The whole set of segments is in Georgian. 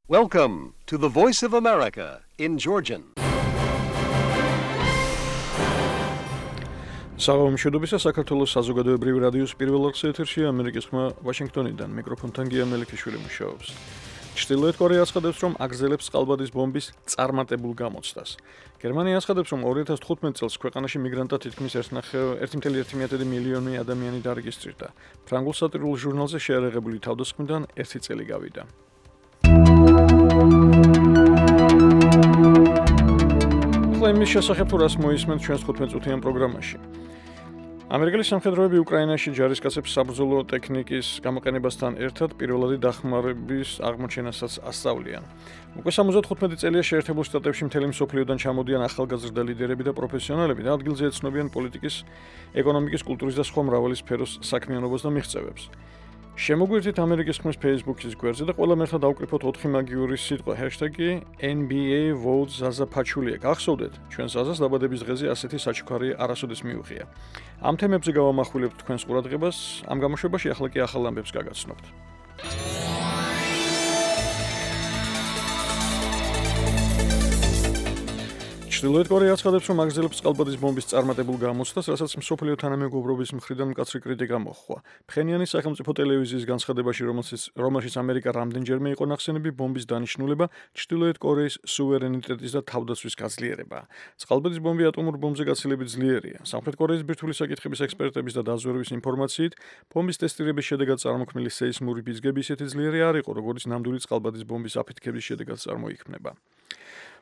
Welcome to the Voice of America in Georgian. Საღამოშობისა საქართველოს საზოგადოებრივი რადიოს პირველ ეთერში ამერიკის ხმა ვაშინგტონიდან მიკროფონთან გია მელიქიშვილი მუშაობს. ჩრდილოეთ კორეა აცხადებს, რომ აგრძელებს წყალბადის ბომბის წარმატებულ გამოცდას. გერმანია აცხადებს, რომ 2015 წელს ქვეყანაში მიგრანტთა თითქმის 1.1 მილიონი ადამიანი დარეგისტრირდა. ფრანგულ სატირულ ჟურნალზე შეარაღებული თავდასხმიდან 1 წელი გავიდა. იმის შესახებ თუ რას მოისმენთ ჩვენს 15 წუთიან პროგრამაში. ამერიკელი სამხედროები უკრაინაში ჯარისკაცებს საბრძოლო ტექნიკის გამოყენებასთან ერთად პირველადი დახმარების აღმოჩენასაც ასწავლიან. უკვე 75 წელია შეერთებულ შტატებში მთელი მსოფლიოდან ჩამოდიან ახალგაზრდა ლიდერები და პროფესიონალები და ადგილზე ეცნობიან პოლიტიკის, ეკონომიკის, კულტურის და სხვა მრავალი სფეროს საქმიანობას და მიღწევებს. შემოგვერთით ამერიკის ხმის Facebook-ის გვერდზე და ყველა მერხად დავკრიფოთ 4 მაგიური სიტყვა #NBA votes Zaza Pachulia. გახსოვდეთ, ჩვენ ზაზას დაბადების დღეზე ასეთი საჩუქარი არასოდეს მიუღია. ამ თემებზე გავამახვილებთ თქვენს ყურადღებას, ამ გამოშვებაში ახლა კი ახალ ამბებს გაგაცნობთ. ჩრდილოეთ კორეა აცხადებს, რომ აგრძელებს წყალბადის ბომბის წარმატებულ გამოცდას, რასაც მსოფლიო თანამეგობრობის მხრიდან მკაცრი კრიტიკა მოჰყვა. ფხენიანის სახელმწიფო ტელევიზიის განცხადებაში, რომელშიც ამერიკა რამდენჯერმე იყო ნახსენები, ბომბის დანიშნულება ჩრდილოეთ კორეის სუვერენიტეტის და თავდაცვის გაძლიერებაა. წყალბადის ბომბი ატომურ ბომბზე გაცილებით ძლიერია. სამხრეთ კორეის ბირთვული საკითხების ექსპერტების და დაზვერვის ინფორმაციით, ბომბის ტესტირების შედეგად წარმოქმნილი სეისმური ბიძგები ისეთი ძლიერი არ იყო, როგორც ნამდვილი წყალბადის ბომბის აფეთქების შედეგად წარმოიქმნება.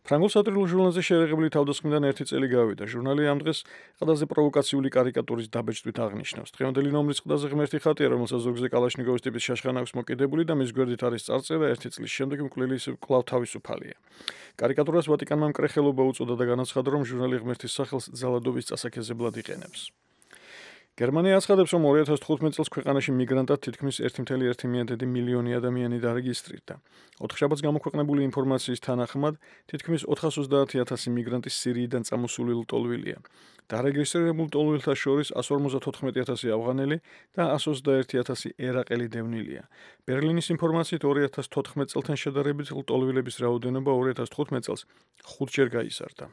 ფრანგულ სატირულ ჟურნალზე შეერაღებული თავდასხმიდან 1 წელი გავიდა. ჟურნალი ამ დღეს ყველაზე პროვოკაციული კარიკატურის დაბეჭდვით აღნიშნავს. დღევანდელი ნომრის ყდაზე ღმერთი ხატია, რომელსაც ზოგზე კალაშნიკოვის ტიპის შაშხანა აქვს მოკიდებული და მის გვერდით არის წარწერა 1 წლის შემდეგ მკვლელი კვლავ თავისუფალია. კარიკატურას ვატიკანმა მკრეხელობა უწოდა და განაცხადა, რომ ჟურნალი ღმერთის სახელს ძალადობის წასაქეზებლად იყენებს. გერმანია აცხადებს, რომ 2015 წელს ქვეყანაში მიგრანტთა თითქმის 1.1 მილიონი ადამიანი დარეგისტრირდა. 4 შაბათს გამოქვეყნებული ინფორმაციის თანახმად, თითქმის 430,000 მიგრანტი სირიიდან წამოსული ლტოლვილია. დარეგისტრირებულ ლტოლვილთა შორის 154,000 ავღანელი და 121,000 ერაყელი დევნილია. ბერლინის ინფორმაციით 2014 წელთან შედარებით ლტოლვილების რაოდენობა 2015 წელს 5-ჯერ გაიზარდა.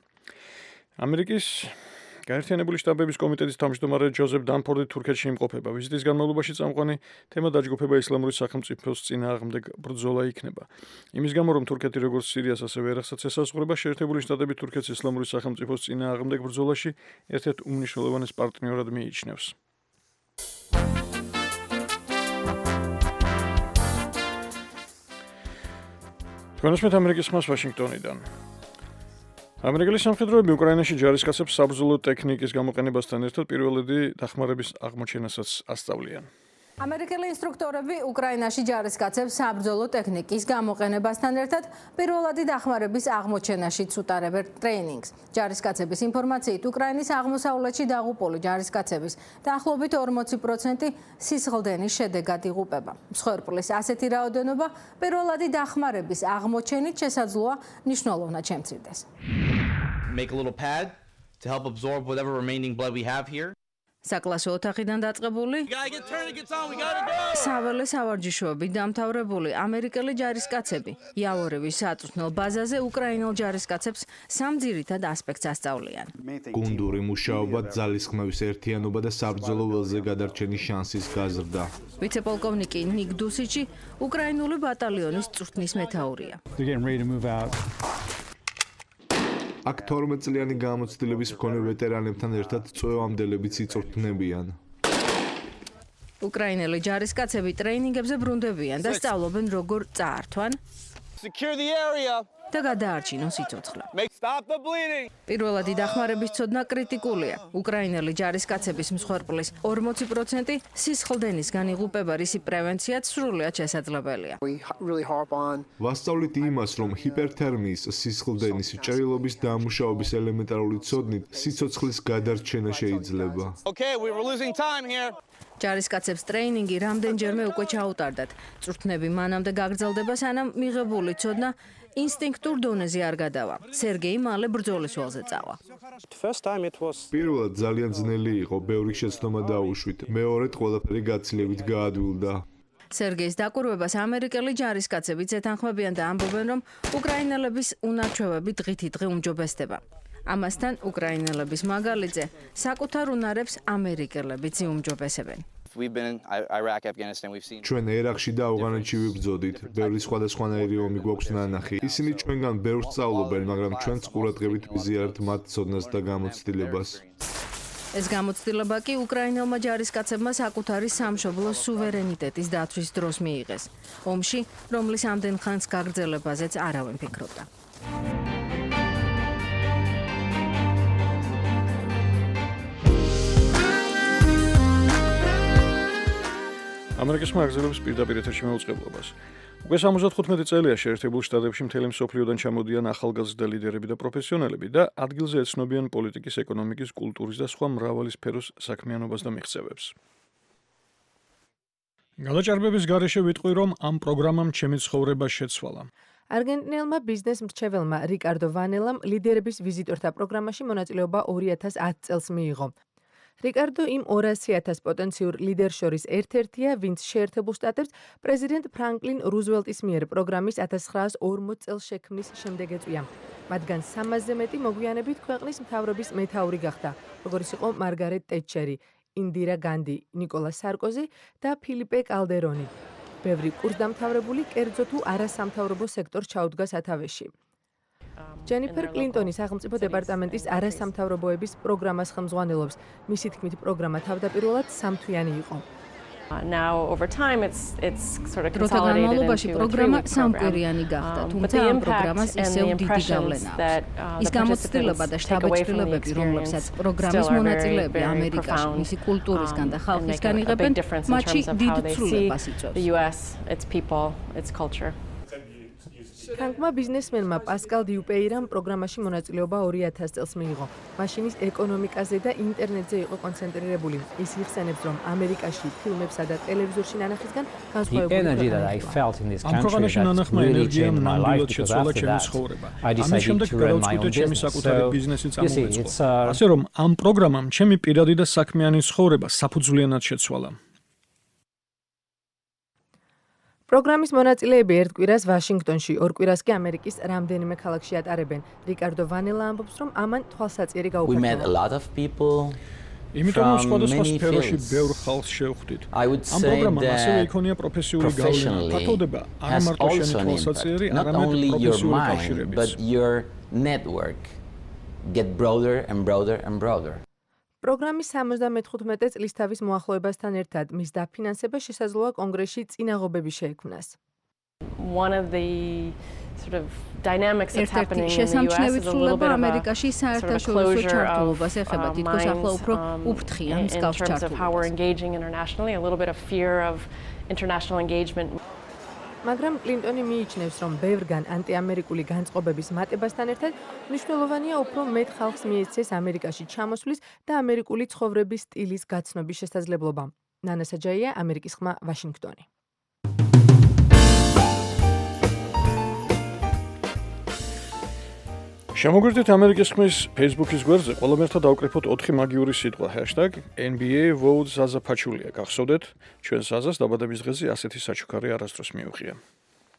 ამერიკის გაერთიანებული შტატების კომიტეტის თავმჯდომარე ჯოზეფ დანფორდი თურქეთში იმყოფება. ვიზიტის განმავლობაში წამყვანი თემა დაჯგუფება ისლამური სახელმწიფოს წინააღმდეგ ბრძოლა იქნება. იმის გამო, რომ თურქეთი როგორც სირიას, ასევე ერაყსაც ესაზღვრება, შეერთებული შტატები თურქეთს ისლამური სახელმწიფოს წინააღმდეგ ბრძოლაში ერთ-ერთ უმნიშვნელოვანეს პარტნიორად მიიჩნევს. თქვენსმეთ ამერიკის ხმას ვაშინგტონიდან. ამერიკელი სამხედროები უკრაინაში ჯარისკაცებს საბრძოლო ტექნიკის გამოყენებასთან ერთად პირველადი დახმარების აღმოჩენასაც ასწავლიან. ამერიკელი ინსტრუქტორები უკრაინაში ჯარისკაცებს საბრძოლო ტექნიკის გამოყენებასთან ერთად პირველადი დახმარების აღმოჩენაშიც უტარებენ ტრეინინგს. ჯარისკაცების ინფორმაციით, უკრაინის აღმოსავლეთში დაღუპული ჯარისკაცების დაახლოებით 40% სისხლდენის შედეგად იღუპება. მსხვერპლის ასეთი რაოდენობა პირველადი დახმარების აღმოჩენით შესაძლოა მნიშვნელოვნად შემცირდეს. Make a little pad to help absorb whatever remaining blood we have here. საკლასო ოთახიდან დაწყებული საველე სავარჯიშოები დამთავრებული ამერიკელი ჯარისკაცები იავორევის საწვრთნელ ბაზაზე უკრაინელ ჯარისკაცებს სამ ძირითად ასპექტს ასწავლიან. გუნდური მუშაობა, ძალისხმევის ერთიანობა და საბრძოლო ველზე გადარჩენის შანსის გაზრდა. ვიცე-პოლკოვნიკი ნიკ დუსიჩი უკრაინული ბატალიონის წვრთნის მეთაურია. აქ 12 წლიანი გამოცდილების მქონე ვეტერანებთან ერთად წვევამდელებიც იწვრთნებიან. უკრაინელი ჯარისკაცები ტრეინინგებზე ბრუნდებიან და სწავლობენ როგორ წაართვან და გადაარჩინონ სიცოცხლე. პირველადი დახმარების ცოდნა კრიტიკულია. უკრაინელი ჯარისკაცების მსხვერპლის 40% სისხლდენისგან იღუპება, რისი პრევენციაც სრულიად შესაძლებელია. ვასწავლით იმას, რომ ჰიპერთერმიის, სისხლდენის, ჭრილობის დამუშავების ელემენტარული ცოდნით სიცოცხლის გადარჩენა შეიძლება. ჯარისკაცებს ტრეინინგი რამდენჯერმე უკვე ჩაუტარდათ. წვრთნები მანამდე გაგრძელდება, სანამ მიღებული ცოდნა ინსტინქტურ დონეზე არ გადავა. სერგეი მალე ბრძოლის ველზე წავა. პირველად ძალიან ძნელი იყო, ბევრი შეცდომა დაუშვით. მეორედ ყველაფერი გაცილებით გაადვილდა. სერგეის დაკვირვებას ამერიკელი ჯარისკაცებიც ეთანხმებიან და ამბობენ, რომ უკრაინელების უნარჩვევები დღითი დღე უმჯობესდება. ამასთან უკრაინელების მაგალითზე საკუთარ უნარებს ამერიკელებიც იუმჯობესებენ. ჩვენ ერაყში და ავღანეთში ვიბრძოდით. ბევრი სხვადასხვანაირი ომი გვაქვს ნანახი. ისინი ჩვენგან ბევრს სწავლობენ, მაგრამ ჩვენც ყურადღებით ვიზიარებთ მათ ცოდნას და გამოცდილებას. ეს გამოცდილება კი უკრაინელმა ჯარისკაცებმა საკუთარი სამშობლოს სუვერენიტეტის დაცვის დროს მიიღეს. ომში, რომლის ამდენ ხანს გაგრძელებაზეც არავინ ფიქრობდა. ამერიკის მაგზელებს პირდაპირ ეთერში მეუწყებლობას. უკვე 75 წელია შეერთებულ შტატებში მთელი მსოფლიოდან ჩამოდიან ახალგაზრდა ლიდერები და პროფესიონალები და ადგილზე ეცნობიან პოლიტიკის, ეკონომიკის, კულტურის და სხვა მრავალი სფეროს საქმიანობას და მიღწევებს. გადაჭარბების გარეშე ვიტყვი, რომ ამ პროგრამამ ჩემი ცხოვრება შეცვალა. არგენტინელმა ბიზნეს მრჩეველმა რიკარდო ვანელამ ლიდერების ვიზიტორთა პროგრამაში მონაწილეობა 2010 წელს მიიღო. რიკარდო იმ 200,000 პოტენციურ ლიდერს შორის ერთ-ერთია, ვინც შეერთებულ შტატებს პრეზიდენტ ფრანკლინ რუზველტის მიერ პროგრამის 1940 წელს შექმნის შემდეგ ეწვია. მათგან 300-ზე მეტი მოგვიანებით ქვეყნის მთავრობის მეთაური გახდა, როგორც იყო მარგარეტ ტეტჩერი, ინდირა განდი, ნიკოლას სარკოზი და ფილიპე კალდერონი. ბევრი კურსდამთავრებული კერძო თუ არასამთავრობო სექტორს ჩაუდგა სათავეში. ჯენიფერ კლინტონი სახელმწიფო დეპარტამენტის არასამთავრობოების პროგრამას ხელმძღვანელობს. მისი თქმით, პროგრამა თავდაპირველად სამთვიანი იყო. დროთა განმავლობაში პროგრამა სამკვირიანი გახდა, თუმცა ამ პროგრამას ისევ დიდი გავლენა აქვს. ის გამოცდილება და შტაბ-ჭრილებები, რომლებსაც პროგრამის მონაწილეები ამერიკაში, მისი კულტურისგან და ხალხისგან იღებენ, მათში დიდ ცვლილებას იწვევს. ფრანკმა ბიზნესმენმა პასკალ დიუპეირამ პროგრამაში მონაწილეობა 2000 წელს მიიღო. მაშინის ეკონომიკაზე და ინტერნეტზე იყო კონცენტრირებული. ის იხსენებს, რომ ამერიკაში ფილმებსა და ტელევიზორში ნანახისგან განსხვავებული ამ პროგრამაში ნანახმა ენერგიამ ნამდვილად შეცვალა ჩემი ცხოვრება. ამის შემდეგ გადავწყვიტე ჩემი საკუთარი ბიზნესი წამოვეწყო. ასე რომ ამ პროგრამამ ჩემი პირადი და საქმიანი ცხოვრება საფუძვლიანად შეცვალა. პროგრამის მონაწილეები ერთ კვირას ვაშინგტონში, ორ კვირას კი ამერიკის რამდენიმე ქალაქში ატარებენ. რიკარდო ვანელა ამბობს, რომ ამან თვალსაწიერი გაუფართოვა. იმიტომ რომ სხვადასხვა სფეროში ბევრ ხალხს შევხვდით. ამ პროგრამამ ასევე იქონია პროფესიული გავლენა. ფართოვდება არა მარტო შენი თვალსაწიერი, არამედ პროფესიული კავშირებიც. პროგრამის 75 წლის თავის მოახლოებასთან ერთად მის დაფინანსება შესაძლოა კონგრესში წინაღობები შეექმნას. ერთ-ერთი შესამჩნევი ცვლილება ამერიკაში საერთაშორისო ჩართულობას ეხება, თითქოს ახლა უფრო უფრთხიან მსგავს ჩართულობას. მაგრამ კლინტონი მიიჩნევს, რომ ბევრგან ანტიამერიკული განწყობების მატებასთან ერთად მნიშვნელოვანია უფრო მეტ ხალხს მიეცეს ამერიკაში ჩამოსვლის და ამერიკული ცხოვრების სტილის გაცნობის შესაძლებლობა. ნანა საჯაია, ამერიკის ხმა, ვაშინგტონი. შემოგვერთით ამერიკის ხმის Facebook-ის გვერდზე, ყველამ ერთად დავკრიფოთ 4 მაგიური სიტყვა #NBA vote Zaza Pachulia. გახსოვდეთ, ჩვენ Zazas დაბადების დღეზე ასეთი საჩუქარი არასდროს მიუღია.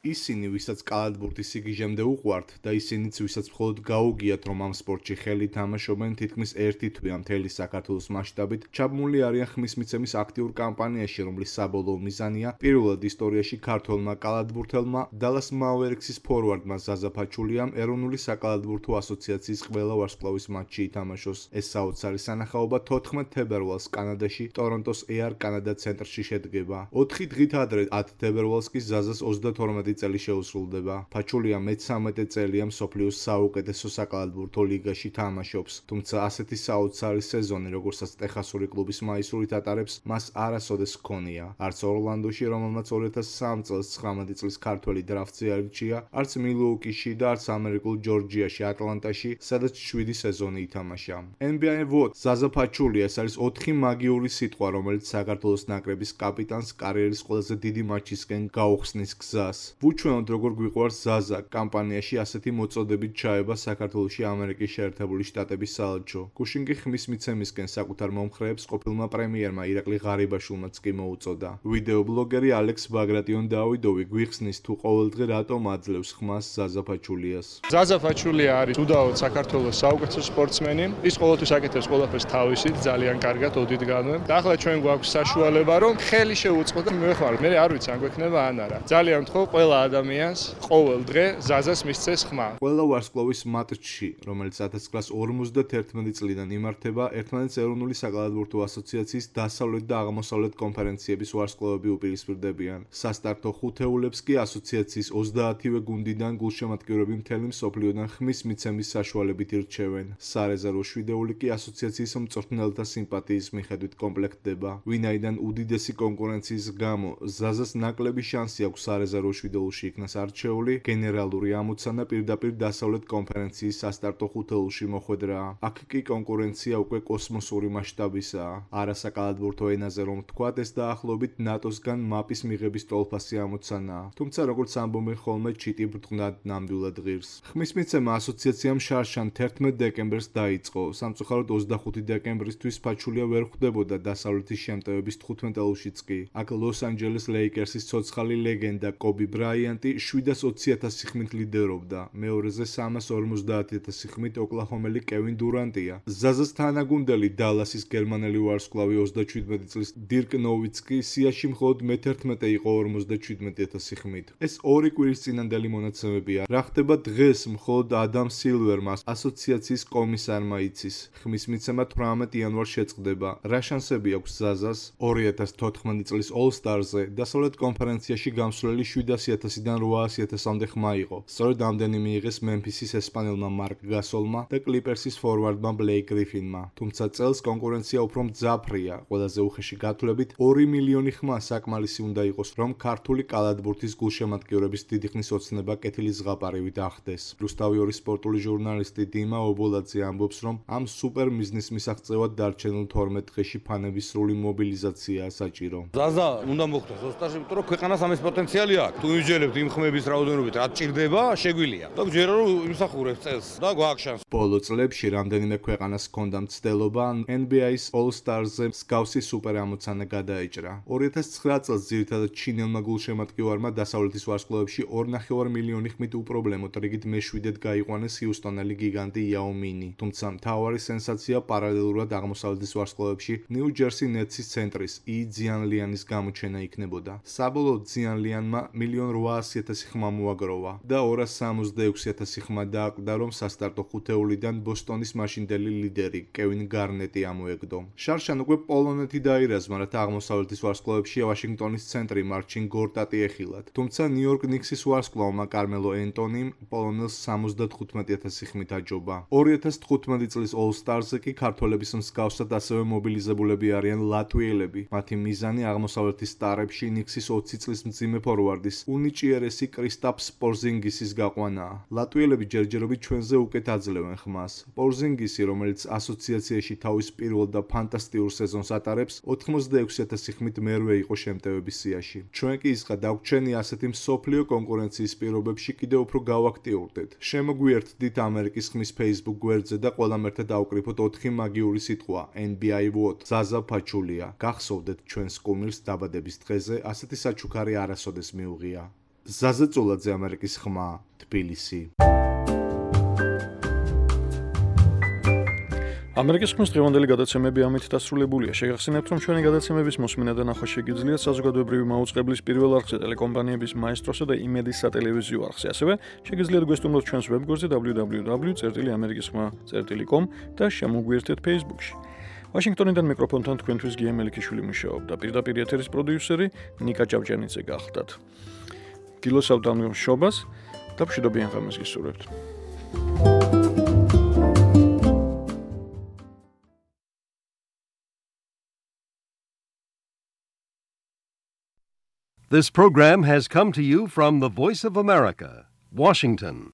ისინი, ვისაც კალათბურთი სიგიჟემდე უყვართ და ისინიც, ვისაც მხოლოდ გაუგიათ, რომ ამ სპორტში ხელი თამაშობენ, თითქმის ერთი თვეა მთელი საქართველოს მასშტაბით, ჩაბმული არიან ხმის მიცემის აქტიურ კამპანიაში, რომლის საბოლოო მიზანია პირველად ისტორიაში ქართველმა კალათბურთელმა Dallas Mavericks-ის ფორვარდმა Zaza Pachuliam ეროვნული საკალათბურთო ასოციაციის ყველა ვარსკვლავის მატჩში ითამაშოს. ეს საოცარი სანახაობა 14 თებერვალს კანადაში, Toronto-ს Air Canada ცენტრში შედგება. 4 დღით ადრე 10 თებერვალს კი Zazas 32 წელი შეუსრულდება. Pachulia მე-13 წელია მსოფლიოს საუკეთესო საკალათბურთო ლიგაში თამაშობს, თუმცა ასეთი საოცარი სეზონი, როგორცაც ტეხასური კლუბის მაისურით ატარებს, მას არასოდეს ჰქონია. არც ორლანდოში, რომელმაც 2003 წელს 19 წლის ქართველი დრაფტზე აირჩია, არც მილუოკიში და არც ამერიკულ ჯორჯიაში, ატლანტაში, სადაც 7 სეზონი ითამაშა. NBA vote Zaza Pachulia ეს არის 4 მაგიური სიტყვა, რომელიც საქართველოს ნაკრების კაპიტანს კარიერის ყველაზე დიდი მატჩისკენ გაუხსნის გზას. ვუჩვენოთ როგორ გვიყვარს ზაზა კამპანიაში ასეთი მოწოდებით ჩაება საქართველოში ამერიკის შეერთებული შტატების საელჩო. გუშინ კი ხმის მიცემისკენ საკუთარ მომხრეებს ყოფილმა პრემიერმა ირაკლი ღარიბაშვილმაც კი მოუწოდა. ვიდეობლოგერი ალექს ბაგრატიონ დავიდოვი გვიხსნის თუ ყოველდღე რატომ აძლევს ხმას ზაზა ფაჩულიას. ზაზა ფაჩულია არის უდაოდ საქართველოს საუკეთესო სპორტსმენი. ის ყოველთვის აკეთებს ყველაფერს თავისით, ძალიან კარგად ოდითგანვე. და ახლა ჩვენ გვაქვს საშუალება რომ ხელი შევუწყოთ და მივეხმაროთ. მე არ ვიცი ან გვექნება ან არა. ძალიან ვთხოვ ყველა ადამიანს ყოველ დღე ზაზას მისცეს ხმა. ყველა ვარსკვლავის მატჩში, რომელიც 1951 წლიდან იმართება, ერთმანეთს ეროვნული საკალათბურთო ასოციაციის დასავლეთ და აღმოსავლეთ კონფერენციების ვარსკვლავები უპირისპირდებიან. სასტარტო ხუთეულებს კი ასოციაციის 30-ვე გუნდიდან გულშემატკივრები მთელი მსოფლიოდან ხმის მიცემის საშუალებით ირჩევენ. სარეზერვო შვიდეული კი ასოციაციის მწვრთნელთა სიმპათიის მიხედვით კომპლექტდება. ვინაიდან უდიდესი კონკურენციის გამო ზაზას ნაკლები შანსი აქვს სარეზერვო შვიდეულში იქნას არჩეული, გენერალური ამოცანა პირდაპირ დასავლეთ კონფერენციის სასტარტო ხუთეულში მოხვედრაა. აქ კი კონკურენცია უკვე კოსმოსური მასშტაბისაა. არასაკალათბურთო ენაზე რომ ვთქვათ, ეს დაახლოებით ნატოსგან მაპის მიღების ტოლფასი ამოცანაა. თუმცა როგორც ამბობენ ხოლმე, ჩიტი ბრწყნად ნამდვილად ღირს. ხმის მიცემა ასოციაციამ შარშან 11 დეკემბერს დაიწყო. სამწუხაროდ 25 დეკემბრისთვის ფაჩულია ვერ ხვდებოდა დასავლეთის შემტევების 15-ელშიც კი. აქ ლოს-ანჯელეს ლეიკერსის ცოცხალი ლეგენდა კობი ბრაიანტი 720,000 ხმით ლიდერობდა. მეორეზე 350,000 ხმით ოკლაჰომელი კევინ დურანტია. ზაზას თანაგუნდელი დალასის გერმანელი ვარსკვლავი 37 წლის დირკ ნოვიცკი სიაში მხოლოდ მე-11 იყო 57,000 ხმით. ეს ორი კვირის წინანდელი მონაცემებია. რა ხდება დღეს მხოლოდ ადამ სილვერმა ასოციაციის კომისარმა იცის. ხმის მიცემა 18 იანვარს შეწყდება. რა შანსები აქვს ზაზას 2014 წლის All-Stars-ზე დასავლეთ კონფერენციაში გამსვლელი 700,000-დან 800,000-მდე ხმა იყო. სწორედ ამდენი მიიღეს მემფისის ესპანელმა მარკ გასოლმა და კლიპერსის ფორვარდმა ბლეიკ გრიფინმა. თუმცა წელს კონკურენცია უფრო მძაფრია. ყველაზე უხეში გათვლებით 2 მილიონი ხმა საკმარისი უნდა იყოს, რომ ქართული კალათბურთის გულშემატკივრების დიდი ხნის ოცნება კეთილი ზღაპარივით ახდეს. რუსთავი 2 სპორტული ჟურნალისტი დიმა ობოლაძე ამბობს, რომ ამ სუპერ მიზნის მისაღწევად დარჩენილ 12 დღეში ფანების სრული მობილიზაციაა საჭირო. ზაზა უნდა მოხდეს ოსტარში, იმიტომ რომ ქვეყანას ამის პოტენციალი აქვს. თუ ვიჯერებთ იმ ხმების რაოდენობით, რაც ჭირდება, შეგვიძლია. და გვჯერა რომ იმსახურებს წელს და გვაქვს შანსი. ბოლო წლებში რამდენიმე ქვეყანას ჰქონდა მცდელობა NBA-ის All-Stars-ზე მსგავსი სუპერ ამოცანა გადაეჭრა. 2009 წელს ძირითადად ჩინელმა გულშემატკივარმა დასავლეთის ვარსკვლავებში 2,5 მილიონი ხმით უპრობლემოდ რიგით მე-7-ად გაიყვანეს ჰიუსტონელი გიგანტი იაო მინი. თუმცა მთავარი სენსაცია პარალელურად აღმოსავლეთის ვარსკვლავებში ნიუ-ჯერსი ნეტსის ცენტრის ი ძიანლიანის გამოჩენა იქნებოდა. საბოლოოდ ძიანლიანმა 1,800,000 ხმა მოაგროვა და 266,000 ხმა დააკვდა, რომ სასტარტო ხუთეულიდან ბოსტონის მაშინდელი ლიდერი კევინ გარნეტი ამოეგდო. შარშან უკვე პოლონეთი დაირაზმა, რათა აღმოსავლეთის ვარსკვლავებში ვაშინგტონის ცენტრი მარჩინ გორტატი ეხილათ. თუმცა ნიუ-იორკ ნიქსის ვარსკვლავმა კარმელო ენტონიმ პოლონელს 75,000 ხმით აჯობა. 2015 წლის All-Stars-ზე კი ქართველების მსგავსად ასევე მობილიზებულები არიან ლატვიელები. მათი მიზანი აღმოსავლეთის სტარებში ნიქსის 20 წლის მძიმე ფორვარდის უნიჭიერესი კრისტაპს პორზინგისის გაყვანაა. ლატვიელები ჯერჯერობით ჩვენზე უკეთ აძლევენ ხმას. პორზინგისი, რომელიც ასოციაციაში თავის პირველ და ფანტასტიურ სეზონს ატარებს, 86,000 ხმით მერვე იყო შემტევების სიაში. ჩვენ კი ისღა დაგვრჩენი ასეთი მსოფლიო კონკურენციის პირობებში კიდევ უფრო გავაქტიურდეთ. შემოგვიერთდით ამერიკის ხმის Facebook გვერდზე და ყველამ ერთად დავკრიფოთ 4 მაგიური სიტყვა NBA vote ზაზა ფაჩულია. გახსოვდეთ ჩვენს კუმირს დაბადების დღეზე, ასეთი საჩუქარი არასოდეს მიუღია. ზაზა წოლაძე, ამერიკის ხმა, თბილისი. ამერიკის ხმის დღევანდელი გადაცემები ამით დასრულებულია. შეგახსენებთ, რომ ჩვენი გადაცემების მოსმენა და ნახვა შეგიძლიათ საზოგადოებრივი მაუწყებლის პირველ არხზე, ტელეკომპანიების მაესტროსა და იმედის სატელევიზიო არხზე. ასევე შეგიძლიათ გვესტუმროთ ჩვენს ვებგვერდზე www.amerikisxma.com და შემოგვიერთეთ Facebook-ში. ვაშინგტონიდან მიკროფონთან თქვენთვის გია მელიქიშვილი მუშაობდა. პირდაპირ ეთერის პროდიუსერი ნიკა ჭავჭანიძე გახდათ. გილოსავთ ამ მშობას და მშვიდობიან ღამეს გისურვებთ. This program has come to you from the Voice of America, Washington.